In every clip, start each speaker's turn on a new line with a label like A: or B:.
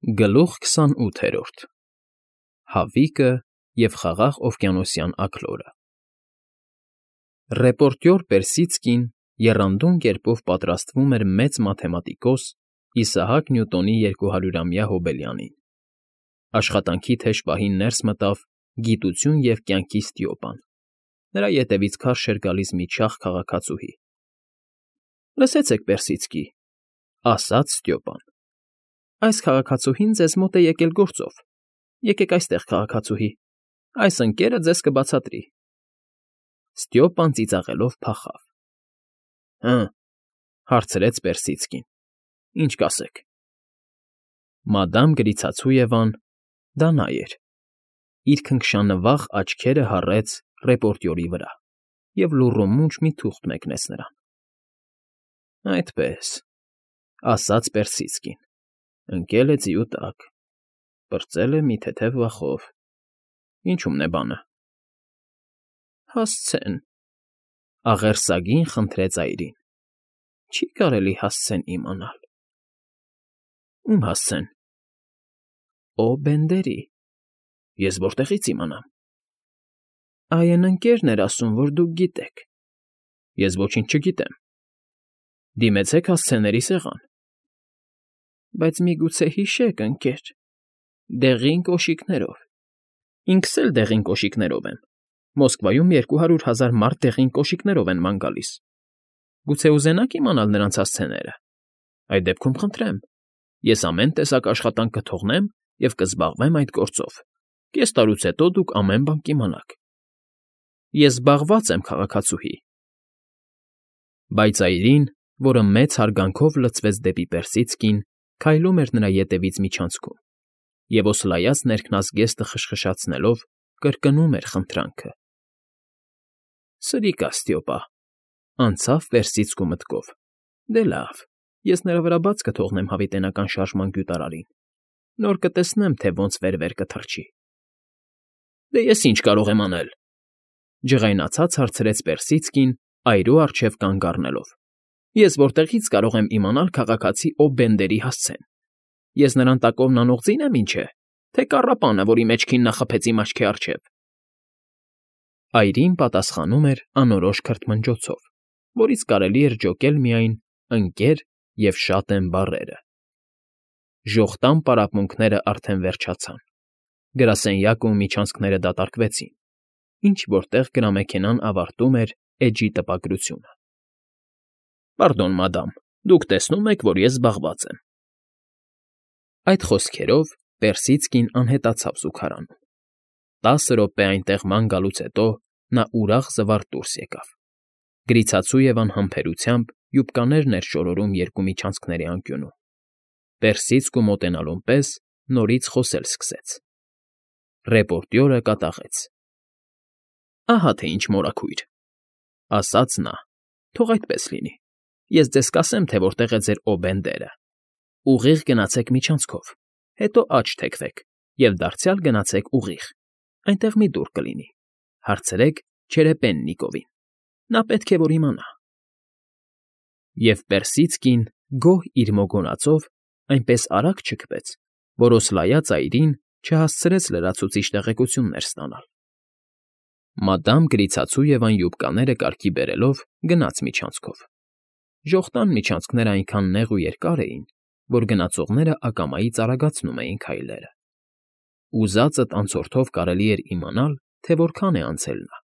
A: Գլուխ 28 Հավիկը և խաղաղ օվկիանոսյան աքլորը Ռեպորտյոր Պերսիցկին եռանդուն կերպով պատրաստվում էր մեծ մաթեմատիկոս Իսահակ Նյուտոնի 200-ամյա հոբելյանին. աշխատանքի թեժ պահին ներս մտավ գիտություն և կյանքի Ստիոպան, նրա ետևից քարշ էր գալիս մի չաղ քաղաքացուհի։ ֊ Լսեցեք, Պերսիցկի,֊ ասաց Ստիոպան, այս քաղաքացուհին ձեզ մոտ է եկել գործով։ Եկեք այստեղ, քաղաքացուհի, այս ընկերը ձեզ կբացատրի։ Ստիոպան ծիծաղելով փախավ։ ֊ Հը,֊ հարցրեց Պերսիցկին,֊ ինչ կասեք։ Մադամ Գրիցացույևան (դա նա էր) իր քնքշանվախ աչքերը հառեց ռեպորտյորի վրա և լուռումունջ մի թուղթ մեկնեց նրան։ ֊ Այդպես,֊ ասաց Պերսիցկին, ընկել է ձիու տակ, պրծել է մի թեթև վախով, ինչո՞ւմն է բանը։ ֊ Հասցեն,֊ աղերսագին խնդրեց այրին,֊ չի կարելի հասցեն իմանալ։ ֊ Ո՞ւմ հասցեն։ ֊ Օ֊Բենդերի։ ֊ Ես որտեղի՞ց իմանամ։ ֊ Այն ընկերն էր ասում, որ դուք գիտեք։ ֊ Ես ոչինչ չգիտեմ։ ֊ Դիմեցեք հասցեների սեղան։ ֊ Բայց միգուցե հիշեք, ընկեր, դեղին կոշիկներով։ Ինքս էլ դեղին կոշիկներով եմ։ Մոսկվայում 200,000 մարդ դեղին կոշիկներով են ման գալիս։ Գուցե ուզենա՞ք իմանալ նրանց հասցեները։ Այդ դեպքում խնդրեմ, ես ամեն տեսակ աշխատանք կթողնեմ և կզբաղվեմ այդ գործով։ Կես տարուց հետո դուք ամեն բան կիմանաք։ Ես զբաղված եմ, քաղաքացուհի։ Բայց այրին, որը մեծ հարգանքով լցվեց դեպի Պերսիցկին, քայլում էր նրա ետևից միջանցքում և օսլայած ներքնազգեստը խշխշացնելով կրկնում էր խնդրանքը։ Սրիկա, Ստիոպա,֊ անցավ Պերսիցկու մտքով, դե լավ, ես նրա վրա բաց կթողնեմ հավիտենական շարժման գյուտարարին, նոր կտեսնեմ, թե ոնց վեր կթռչի։ ֊ Դե ես ինչ կարող եմ անել,֊ ջղայնացած հարցրեց Պերսիցկին, այրու առջև կանգ առնելով։ ֊ Ես որտեղի՞ց կարող եմ իմանալ քաղաքացի Օ֊Բենդերի հասցեն։ Ես նրան տակովն անող ձի՞ն եմ, ինչ է, թե կառապանը, որի մեջքին նա խփեց իմ աչքի առջև։ Այրին պատասխանում էր անորոշ քրթմնջոցով, որից կարելի էր ջոկել միայն «ընկեր» և «շատ եմ» բառերը։ Ժողտան պարապմունքներն արդեն վերջացան, գրասենյակը ու միջանցքները դատարկվեցին, ինչ֊որ տեղ գրամեքենան ավարտում էր էջի տպագրությունը։ ֊ Պարդոն, մադամ, դուք տեսնում եք, որ ես զբաղված եմ։ Այդ խոսքերով Պերսիցկին անհետացավ զուգարանում։ 10 րոպե այնտեղ ման գալուց հետո նա ուրախ զվարթ դուրս եկավ։ Գրիցացույևան համբերությամբ յուբկաներն էր շորորում երկու միջանցքների անկյունում։ Պերսիցկու մոտենալուն պես նորից խոսել սկսեց։ Ռեպորտյորը կատաղեց։ ֊ Ահա թե ինչ մորաքույր,֊ ասաց նա,֊ թող այդպես լինի։ Ես ձեզ կասեմ, թե որտեղ է ձեր Օ֊Բենդերը։ Ուղիղ գնացեք միջանցքով, հետո աջ թեքվեք և դարձյալ գնացեք ուղիղ, այնտեղ մի դուռ կլինի, հարցրեք Չերեպեննիկովին, նա պետք է որ իմանա։ Եվ Պերսիցկին գոհ իր մոգոնածով այնպես արագ չքվեց, որ օսլայած այրին չհասցրեց լրացուցիչ տեղեկություններ ստանալ։ Մադամ Գրիցացույևան յուբկաները կարգի բերելով գնաց միջանցքով։ Ժողտան միջանցքներն այնքան նեղ ու երկար էին, որ գնացողները ակամայից արագացնում էին քայլերը։ Ուզածդ անցորդով կարելի էր իմանալ, թե որքան է անցել նա։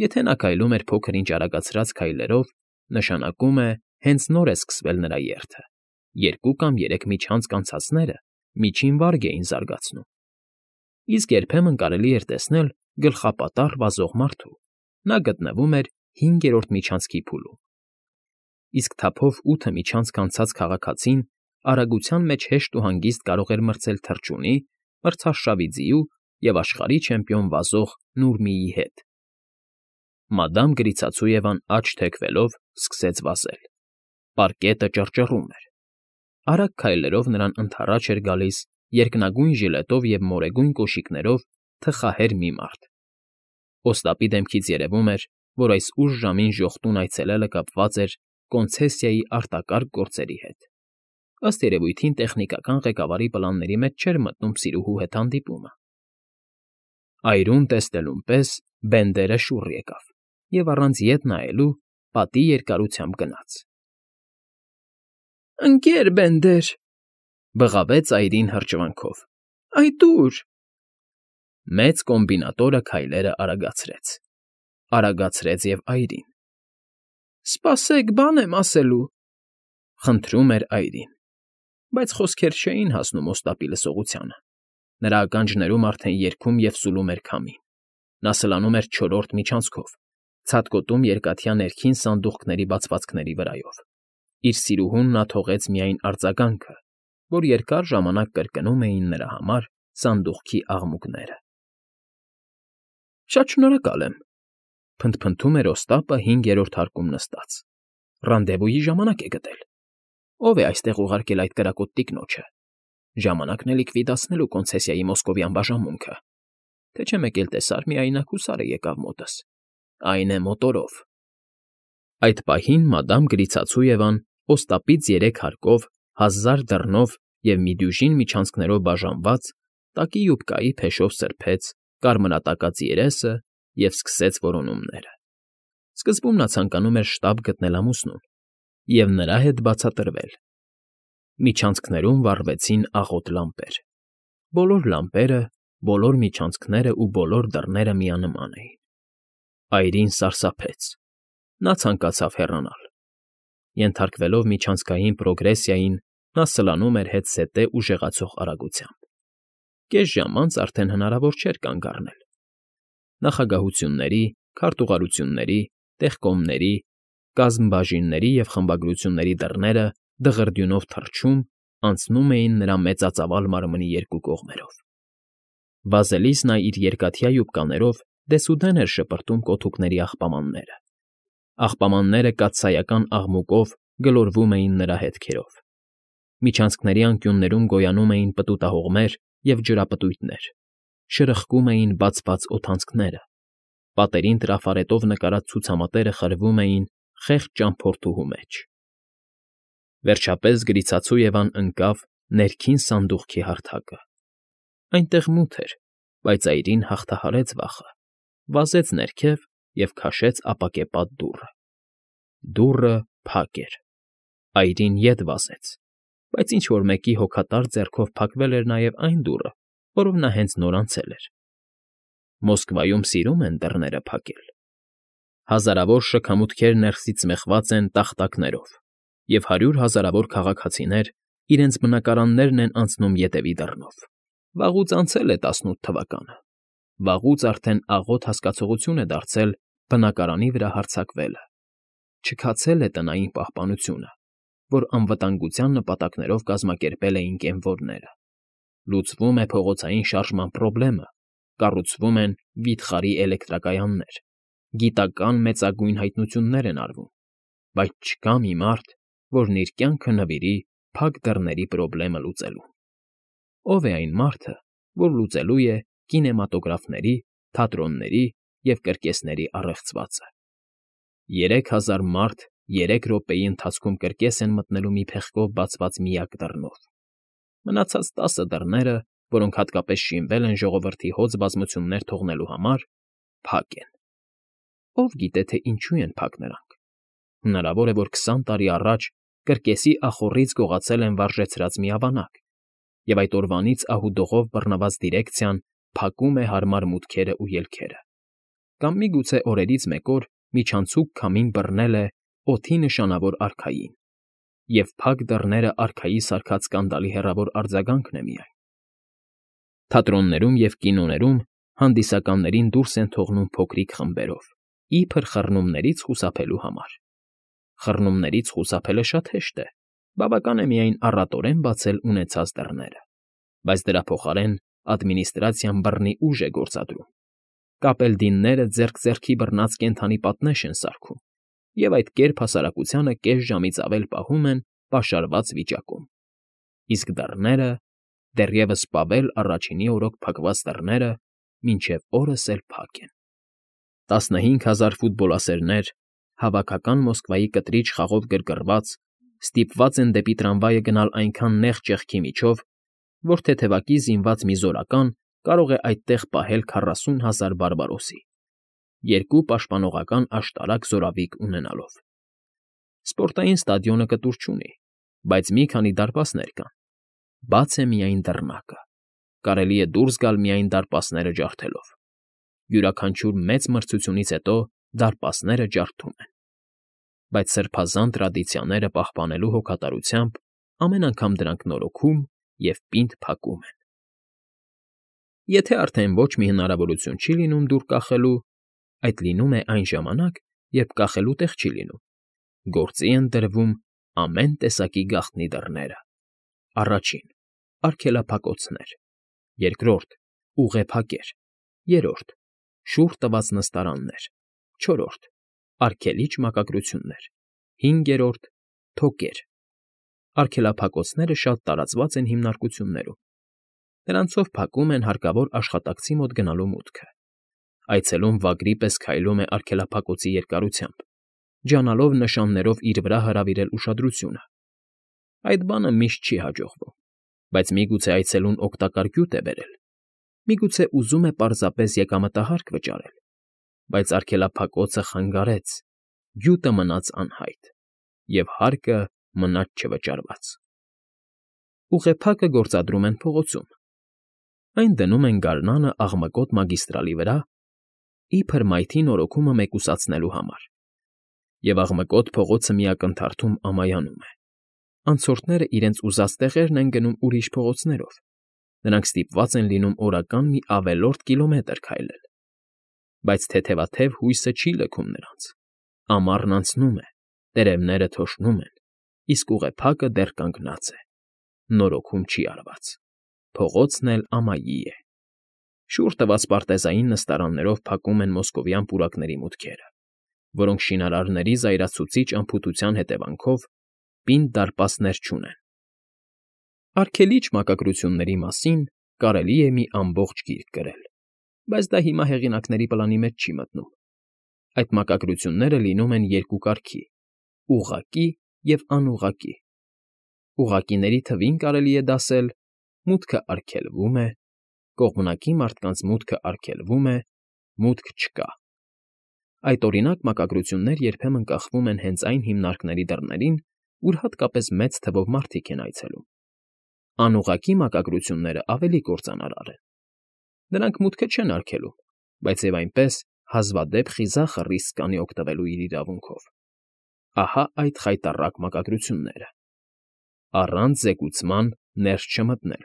A: Եթե նա քայլում էր փոքր֊ինչ արագացրած քայլերով, նշանակում է հենց նոր է սկսվել նրա երթը, 2 կամ 3 միջանցք անցածները միջին վարգ էին զարգացնում։ Իսկ երբեմն կարելի էր տեսնել գլխապատառ վազող մարդու, նա գտնվում էր 5-րդ միջանցքի փուլում։ Իսկ թափով 8 միջանցք անցած քաղաքացին արագության մեջ հեշտ ու հանգիստ կարող էր մրցել թռչունի, մրցարշավի ձիու և աշխարհի չեմպիոն վազող Նուրմիի հետ։ Մադամ Գրիցացույևան աջ թեքվելով սկսեց վազել։ Պարկետը ճռճռում էր։ Արագ քայլերով նրան ընդառաջ էր գալիս երկնագույն ժիլետով և մորեգույն կոշիկներով թխահեր մի մարդ։ Օստապի դեմքից երևում էր, որ այս ուշ ժամին ժողտուն այցելելը կապված էր կոնցեսիայի արտակարգ գործերի հետ։ Ըստ երևույթին տեխնիկական ղեկավարի պլանների մեջ չէր մտնում սիրուհու հետ հանդիպումը։ Այրուն տեսնելուն պես Բենդերը շուռ եկավ և առանց ետ նայելու պատի երկարությամբ գնաց։ ֊ Ընկեր Բենդեր,֊ բղավեց այրին հրճվանքով,֊ այդ ո՞ւր։ Մեծ կոմբինատորը քայլերը արագացրեց և այրին։ ֊ Սպասեք, բան եմ ասելու,֊ խնդրում էր այրին, բայց խոսքեր չէին հասնում օստապի լսողությանը։ Նրա ականջներում արդեն երգում և սուլում էր քամին։ Նա սլանում էր չորրորդ միջանցքով, ցատկոտում երկաթյա ներքին սանդուղքների բացվածքների վրայով։ Իր սիրուհուն նա թողեց միայն արձագանքը, որ երկար ժամանակ կրկնում էին նրա համար սանդուղքի աղմուկները։ ֊ Շատ շնորհակալ եմ,֊ փնթփնթում էր Օստապը հինգերորդ հարկում նստած։֊ Ռանդևուի ժամանակ է գտել։ Ո՞վ է այստեղ ուղարկել այդ կրակոտ տիկնոջը։ Ժամանակն է լիկվիդացնելու կոնցեսիայի մոսկովյան բաժանմունքը, թե չէ մեկ էլ տեսար միայնակ հուսարը եկավ մոտս, այն է մոտորով։ Այդ պահին մադամ Գրիցացույևան Օստապից 3 հարկով, 1000 դռնով և մի դյուժին միջանցքներով բաժանված տակի յուբկայի փեշով սրբեց կարմրատակած երեսը և սկսեց որոնումները։ Սկզբում նա ցանկանում էր շտապ գտնել ամուսնուն և նրա հետ բացատրվել։ Միջանցքներում վառվեցին աղոտ լամպեր։ Բոլոր լամպերը, բոլոր միջանցքները ու բոլոր դռները միանման էին։ Այրին սարսափեց։ Նա ցանկացավ հեռանալ։ Ենթարկվելով միջանցքային պրոգրեսիային, նա սլանում էր հետզհետե ուժեղացող արագությամբ։ Կես ժամ անց արդեն հնարավոր չէր կանգ առնել։ Նախագահությունների, քարտուղարությունների, տեխկոմների, կազմբաժինների և խմբագրությունների դռները դղրդյունով թռչում անցնում էին նրա մեծածավալ մարմնի երկու կողմերով։ Վազելիս նա իր երկաթյա յուբկաներով դեսուդեն էր շպրտում կոթուկների աղբամանները։ Աղբամանները կաթսայական աղմուկով գլորվում էին նրա հետքերով։ Միջանցքների անկյուններում գոյանում էին պտուտահողմեր և ջրապտույտներ, շրխկում էին բացված օդանցքները, պատերին տրաֆարետով նկարած ցուցամատերը խրվում էին խեղճ ճամփորդուհու մեջ։ Վերջապես Գրիցացույևան ընկավ ներքին սանդուղքի հարթակը։ Այնտեղ մութ էր, բայց այրին հաղթահարեց վախը, վազեց ներքև և քաշեց ապակեպատ դուռը։ Դուռը փակ էր։ Այրին ետ վազեց, բայց ինչ֊որ մեկի հոգատար ձեռքով փակվել էր նաև այն դուռը, որով նա հենց նոր անցել էր։ Մոսկվայում սիրում են դռները փակել։ Հազարավոր շքամուտքեր ներսից մեխված են տախտակներով, և 100 հազարավոր քաղաքացիներ իրենց բնակարաններն են անցնում ետևի դռնով։ Վաղուց անցել է 18 թվականը։ Վաղուց արդեն աղոտ հասկացողություն է դարձել բնակարանի վրա հարձակվելը։ Չքացել է տնային պահպանությունը, որ անվտանգության նպատակներով կազմակերպել էին կեմվորները։ Լուծվում է փողոցային շարժման պրոբլեմը, կառուցվում են վիթխարի էլեկտրակայաններ, գիտական մեծագույն հայտնություններ են արվում, բայց չկա մի մարդ, որն իր կյանքը նվիրի փակ դռների պրոբլեմը լուծելուն։ Ո՞վ է այն մարդը, որ լուծելու է կինեմատոգրաֆների, թատրոնների և կրկեսների առեղծվածը։ 3000 մարդ 3 րոպեի ընթացքում կրկես են մտնելու մի փեղկով բացված միակ դռնով։ Մնացած 10 դռները, որոնք հատկապես շինվել են ժողովրդի հոծ բազմություններ թողնելու համար, փակ են։ Ով գիտե, թե ինչու են փակ նրանք։ Հնարավոր է, որ 20 տարի առաջ կրկեսի ախոռից գողացել են վարժեցրած մի ավանակ, և այդ օրվանից ահուդողով բռնված դիրեկցիան փակում է հարմար մուտքերն ու ելքերը։ Կամ միգուցե օրերից մեկ օր միջանցիկ քամին բռնել է օդի նշանավոր արքային, և փակ դռները արքայի սարքած սկանդալի հեռավոր արձագանքն է միայն։ Թատրոններում և կինոներում հանդիսականներին դուրս են թողնում փոքրիկ խմբերով, իբր խռնումներից խուսափելու համար։ Խռնումներից խուսափելը շատ հեշտ է, բավական է միայն առատորեն բացել ունեցած դռները, բայց դրա փոխարեն ադմինիստրացիան բռնի ուժ է գործադրում։ Կապելդինները ձեռք ձեռքի բռնած կենդանի պատնեշ են սարքում և այդ կերպ հասարակությանը կես ժամից ավել պահում են պաշարված վիճակում։ Իսկ դռները, դեռևս Պավել Առաջինի օրոք փակված դռները, մինչև օրս էլ փակ են։ 15000 ֆուտբոլասերներ, հավաքական Մոսկվայի կտրիչ խաղով գրգռված, Ստիպված են դեպի տրամվայը գնալ այնքան նեղ ճեղքի միջով, որ թեթևակի զինված մի զորական կարող է այդտեղ պահել 40,000 բարբարոսի, երկու պաշտպանողական աշտարակ զորավիգ ունենալով։ Սպորտային ստադիոնը կտուր չունի, բայց մի քանի դարպասներ կան։ Բաց է միայն դռնակը։ Կարելի է դուրս գալ միայն դարպասները ջարդելով։ Յուրաքանչյուր մեծ մրցությունից հետո դարպասները ջարդում են։ Բայց սրբազան տրադիցիաները պահպանելու հոգատարությամբ ամեն անգամ դրանք նորոգում և պինդ փակում են։ Եթե արդեն ոչ մի հնարավորություն չի լինում դուռ կախելու, այդ լինում է այն ժամանակ, երբ կախելու տեղ չի լինում, գործի են դրվում ամեն տեսակի գաղտնի դռները. առաջին՝ արգելափակոցներ, երկրորդ՝ ուղեփակեր, երրորդ՝ շուռ տված նստարաններ, չորրորդ՝ արգելիչ մակագրություններ, հինգերորդ՝ թոկեր։ Արգելափակոցները շատ տարածված են հիմնարկություններում։ Նրանցով փակում են հարկավոր աշխատակցի մոտ գնալու մուտքը։ Այցելուն վագրի պես քայլում է արգելափակոցի երկարությամբ, ջանալով նշաններով իր վրա հրավիրել ուշադրությունը։ Այդ բանը միշտ չի հաջողվում, բայց միգուցե այցելուն օգտակար գյուտ է բերել, միգուցե ուզում է պարզապես եկամտահարկ վճարել, բայց արգելափակոցը խանգարեց, գյուտը մնաց անհայտ, և հարկը մնաց չվճարված։ Ուղեփակը գործադրում են փողոցում։ Այն դնում են գարնանը աղմկոտ մագիստրալի վրա, իբր մայթի նորոգումը մեկուսացնելու համար, և աղմկոտ փողոցը մի ակնթարթում ամայանում է։ Անցորդները իրենց ուզած տեղերն են գնում ուրիշ փողոցներով, նրանք ստիպված են լինում օրական մի ավելորդ կիլոմետր քայլել։ Բայց թեթևաթև հույսը չի լքում նրանց։ Ամառն անցնում է, տերևները թոշնում են, իսկ ուղեփակը դեռ կանգնած է։ Նորոգում չի արված։ Փողոցն էլ ամայի է։ Շուռ տված պարտեզային նստարաններով փակում են մոսկովյան պուրակների մուտքերը, որոնք շինարարների զայրացուցիչ անփութության հետևանքով պինդ դարպասներ չունեն։ Արգելիչ մակագրությունների մասին կարելի է մի ամբողջ գիրք գրել, բայց դա հիմա հեղինակների պլանի մեջ չի մտնում։ Այդ մակագրությունները լինում են երկու կարգի՝ ուղղակի և անուղղակի։ Ուղղակիների թվին կարելի է դասել. մուտքը արգելվում է, կողմնակի մարդկանց մուտքը արգելվում է, մուտք չկա։ Այդ օրինակ մակագրություններ երբեմն կախվում են հենց այն հիմնարկների դռներին, ուր հատկապես մեծ թվով մարդիկ են այցելում։ Անուղղակի մակագրությունները ավելի կործանարար են։ Նրանք մուտքը չեն արգելում, բայց և այնպես հազվադեպ խիզախը ռիսկ կանի օգտվելու իր իրավունքով։ Ահա այդ խայտառակ մակագրությունները. առանց զեկուցման ներս չմտնել,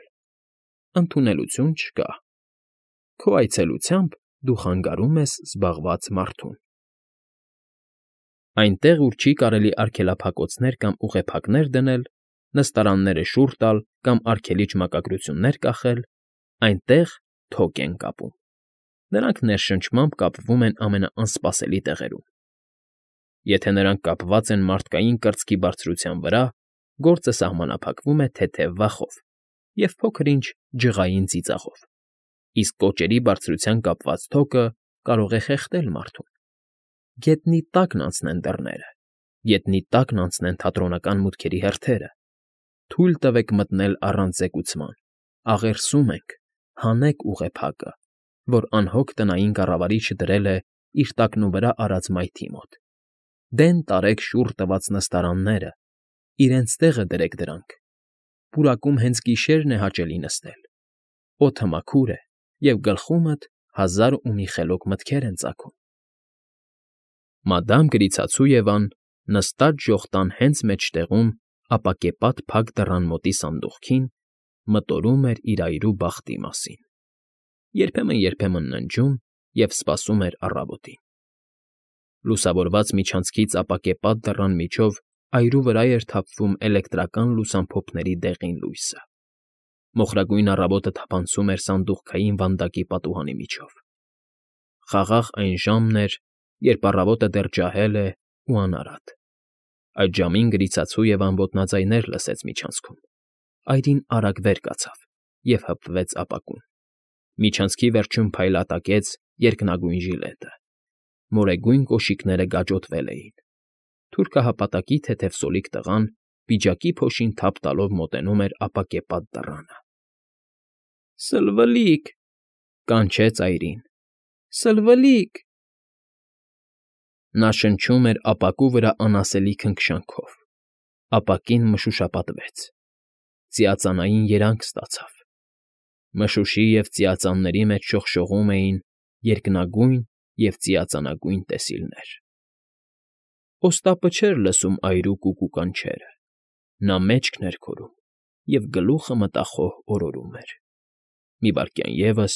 A: ընդունելություն չկա, քո այցելությամբ դու խանգարում ես զբաղված մարդուն։ Այնտեղ, ուր չի կարելի արգելափակոցներ կամ ուղեփակներ դնել, նստարանները շուռ տալ կամ արգելիչ մակագրություններ կախել, այնտեղ թոկ են կապում։ Նրանք ներշնչմամբ կապվում են ամենաանսպասելի տեղերում։ Եթե նրանք կապված են մարդկային կրծքի բարձրության վրա, գործը սահմանափակվում է թեթև վախով և փոքր֊ինչ ջղային ծիծաղով, իսկ կոճերի բարձրության կապված թոկը կարող է խեղդել մարդուն։ Գետնի տակն անցնեն դռները, գետնի տակն անցնեն թատրոնական մուտքերի հերթերը։ Թույլ տվեք մտնել առանց զեկուցման, աղերսում ենք, հանեք ուղեփակը, որ անհոգ տնային կառավարիչը դրել է իր տակնուվրա արած մայթի մոտ։ Դեն տարեք շուռ տված նստարանները, իրենց տեղը դրեք դրանք։ Պուրակում հենց գիշերն է հաճելի նստել։ Օդը մաքուր է, և գլխումդ հազար ու մի խելոք մտքեր են ծագում։ Մադամ Գրիցացույևան նստած ժողտան հենց մեջտեղում ապակեպատ փակ դռան մոտի սանդուղքին մտորում էր իր այրու բախտի մասին, երբեմն ննջում և սպասում էր առավոտին։ Լուսավորված միջանցքից ապակեպատ դռան միջով այրու վրա էր թափվում էլեկտրական լուսամփոփների դեղին լույսը։ Մոխրագույն առավոտը թափանցում էր սանդուղքային վանդակի պատուհանի միջով։ Խաղաղ այն ժամն էր, երբ առավոտը դեռ ջահել է ու անարատ։ Այդ ժամին Գրիցացույևան ոտնաձայներ լսեց միջանցքում։ Այրին արագ վեր կացավ և հպվեց ապակուն։ Միջանցքի վերջում փայլատակեց երկնագույն ժիլետը։ Մորեգույն կոշիկները գաջոտվել էին։ Թուրքահապատակի թեթև սոլիկ տղան պիջակի փոշին թափ տալով մոտենում էր ապակեպատ դռանը։ ֊ Սլվլիկ,֊ կանչեց այրին։֊ Սլվլիկ… Նա շնչում էր ապակու վրա անասելի քնքշանքով, ապակին մշուշապատվեց, ծիածանային երանգ ստացավ, մշուշի և ծիածանների մեջ շողշողում էին երկնագույն և ծիածանագույն տեսիլներ… Օստապը չէր լսում այրու կուկու կանչերը, նա մեջքն էր քորում և գլուխը մտախոհ օրորում էր… Մի վայրկյան ևս,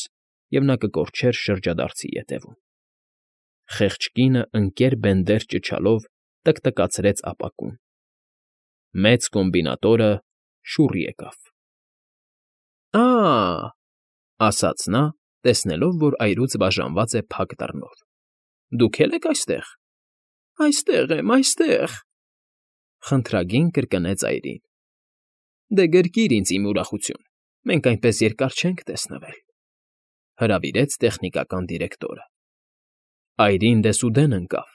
A: և նա կկորչեր շրջադարձի ետևում… Խեղճ կինը ընկեր բենդեր ճչալով տկտկացրեց ապակուն… Մեծ կոմբինատորը շուռ եկավ։ «Ա՜,֊ ասաց նա, տեսնելով, որ այրուց բաժանված է փակ դռնով։֊ Դուք է՞լ եք այստեղ։ ֊ Այստեղ եմ, այստեղ…֊ խնդրագին կրկնեց այրին։ ֊ Դե գրկիր ինձ, իմ ուրախություն, մենք այնպես երկար չենք տեսնվել,֊ հրավիրեց տեխնիկական դիրեկտորը։ Այրին դեսուդեն ընկավ,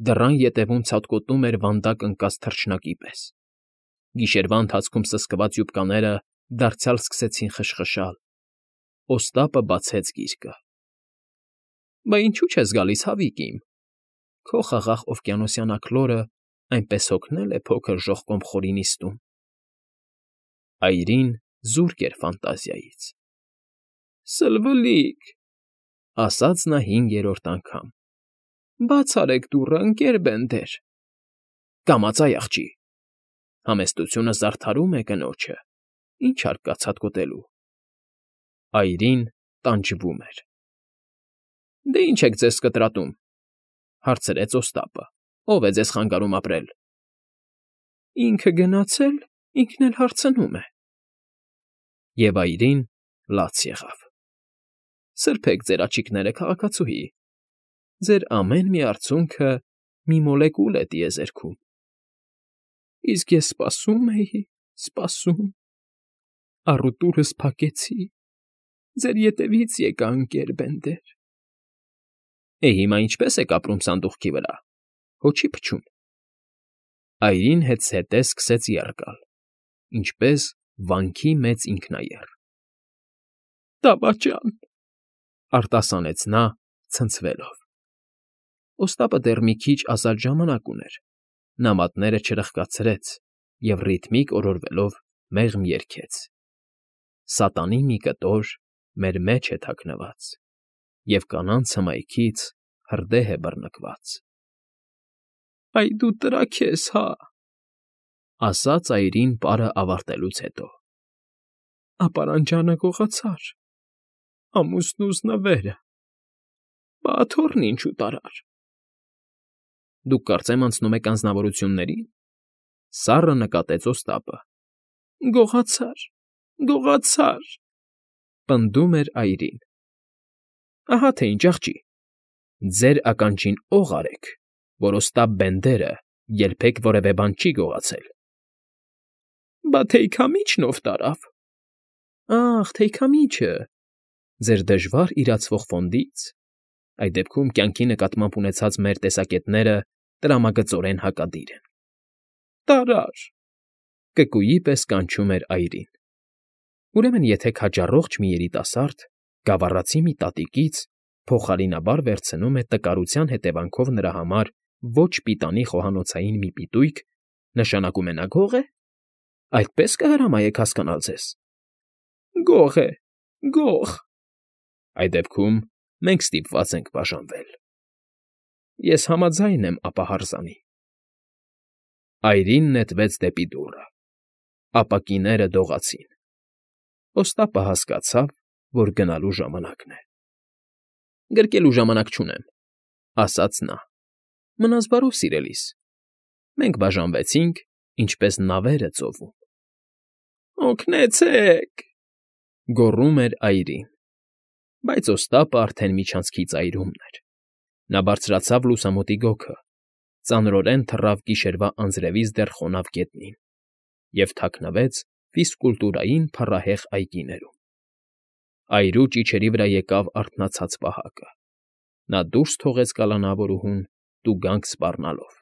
A: դռան ետևում ցատկոտում էր վանդակ ընկած թռչնակի պես։ Գիշերվա ընթացքում սսկված յուբկաները դարձյալ սկսեցին խշխշալ։ Օստապը բացեց գիրկը։ ֊ Բա ինչու՞ չես գալիս, հավիկ իմ… Քո խաղաղ օվկիանոսյան աքլորը այնպես հոգնել է փոքր ժողկոմ խորի նիստում… Այրին զուրկ էր ֆանտազիայից։ ֊ Սլվլիկ,֊ ասաց նա հինգերորդ անգամ,֊ բաց արեք դուռը, ընկեր Բենդեր… Կամացա՜й, աղջի… Համեստությունը զարդարում է կնոջը, ինչ հարկ կա ցատկոտելու… Այրին տանջվում էր։ ֊ Դե ինչ եք ձեզ կտրատում,֊ հարցրեց Օստապը։֊ Ո՞վ է ձեզ խանգարում ապրել։ ֊ Ինքը գնացել, ինքն էլ հարցնում է… Եվ այրին լաց եղավ։ ֊ Սրբեք ձեր աջիկները, քաղաքացուհի… Ձեր ամեն մի արցունքը մի մոլեկուլ է տիեզերքում… Իսկ ես սպասում էի, սպասում… Առուտուրս փակեցի… Ձեր ետևից եկա, ընկեր Բենդեր… Հիմա ինչպե՞ս եք ապրում սանդուղքի վրա, հո չի փչում։ Այրին հետզհետե սկսեց եռ գալ, ինչպես վանքի մեծ ինքնաեռ։ Դավաճան,֊ արտասանեց նա, ցնցվելով։ Օստապը դեռ մի քիչ ազատ ժամանակ ուներ, նա մատները չրխկացրեց և ռիթմիկ օրորվելով մեղմ երգեց. Սատանի մի կտոր մեր մեջ է թաքնված, և կանանց հմայքից հրդեհ է բռնկված։ Այ դու տրակ ես, հա՜… ասաց այրին պարը ավարտելուց հետո։ Ապարանջանը գողացար, ամուսնուս նվերը, բա աթոռն ինչու տարար։ Դուք կարծեմ անցնում եք անձնավորությունների՞ն,֊ սառը նկատեց Օստապը։ Գողացար, գողացար,֊ պնդում էր այրին։ Ահա թե ինչ, աղջի, ձեր ականջին օղ արեք, որ Օստապ Բենդերը երբեք որևէ բան չի գողացել։ Բա թեյքամի՞չն ով տարավ։ Ախ, թեյքամիջը… Ձեր դժվար իրացվող ֆոնդից… Այդ դեպքում կյանքի նկատմամբ ունեցած մեր տեսակետները տրամագծորեն հակադիր են։ Տարար…֊ կկուի պես կանչում էր այրին։ Ուրեմն եթե քաջառողջ մի երիտասարդ գավառացի մի տատիկից փոխարինաբար վերցնում է տկարության հետևանքով նրա համար ոչ պիտանի խոհանոցային մի պիտույք, նշանակում է նա գող է։ Այդպե՞ս կհրամայեք հասկանալ ձեզ։ Գող է, գող… Այդ դեպքում մենք ստիպված ենք բաժանվել։ Ես համաձայն եմ ապահարզանի… Այրին նետվեց դեպի դուռը։ Ապակիները դողացին։ Օստապը հասկացավ, որ գնալու ժամանակն է։ Գրկելու ժամանակ չունեմ,֊ ասաց նա։ Մնաս բարով, սիրելիս… Մենք բաժանվեցինք, ինչպես նավերը ծովում։ Օգնեցե՜ք,֊ գոռում էր այրին։ Բայց Օստապը արդեն միջանցքի ծայրումն էր։ Նա բարձրացավ լուսամուտի գոգը, ծանրորեն թռավ գիշերվա անձրևից դեռ խոնավ գետնին և թաքնվեց ֆիզկուլտուրային փառահեղ այգիներում։ Այրու ճիչերի վրա եկավ արթնացած պահակը։ Նա դուրս թողեց կալանավորուհուն տուգանք սպառնալով։